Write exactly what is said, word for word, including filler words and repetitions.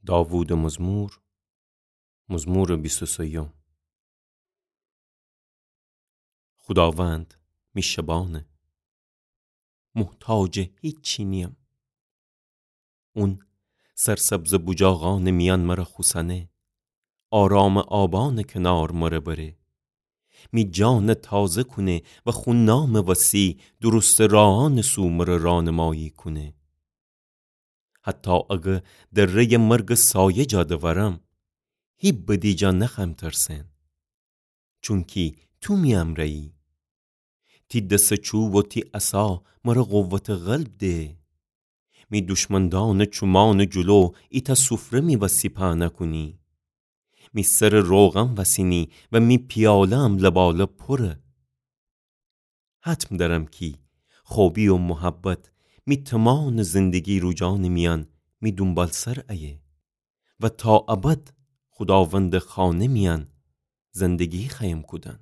داوودٚ مزمور، مزمورٚ بیست و سیوم. خوداوند می شبانه، محتاجٚ هیچی نییم. اون سرسبزٚ بوجاغانٚ میأن مر خوسأنه، آرامٚ آبانٚ کنار مر بره. می جان تازه کونه و خو نامٚ وسی درستٚ راهانٚ سو مر رانمایی کونه. حتی اگه دره‌یٚ مرگٚ سایه جا دورم، هی بدی جا نخوأیم ترسن، چونکی تو می امرأیی. تی دسٚ چوب و تی عصا مر قوتٚ غلب ده. می دشمندانٚ چومانٚ جلو ایتأ سفره می وسی پهنه کونی. می سر روغن وسینی و می پیاله‌م لبالب پوره. حتم دأرم کی خوبی و محبت می تومانٚ زندگی روجانٚ میأن می دونبالسر ایه و تا ابد خوداوندٚ خانه میأن زندگی خوأیم کودن.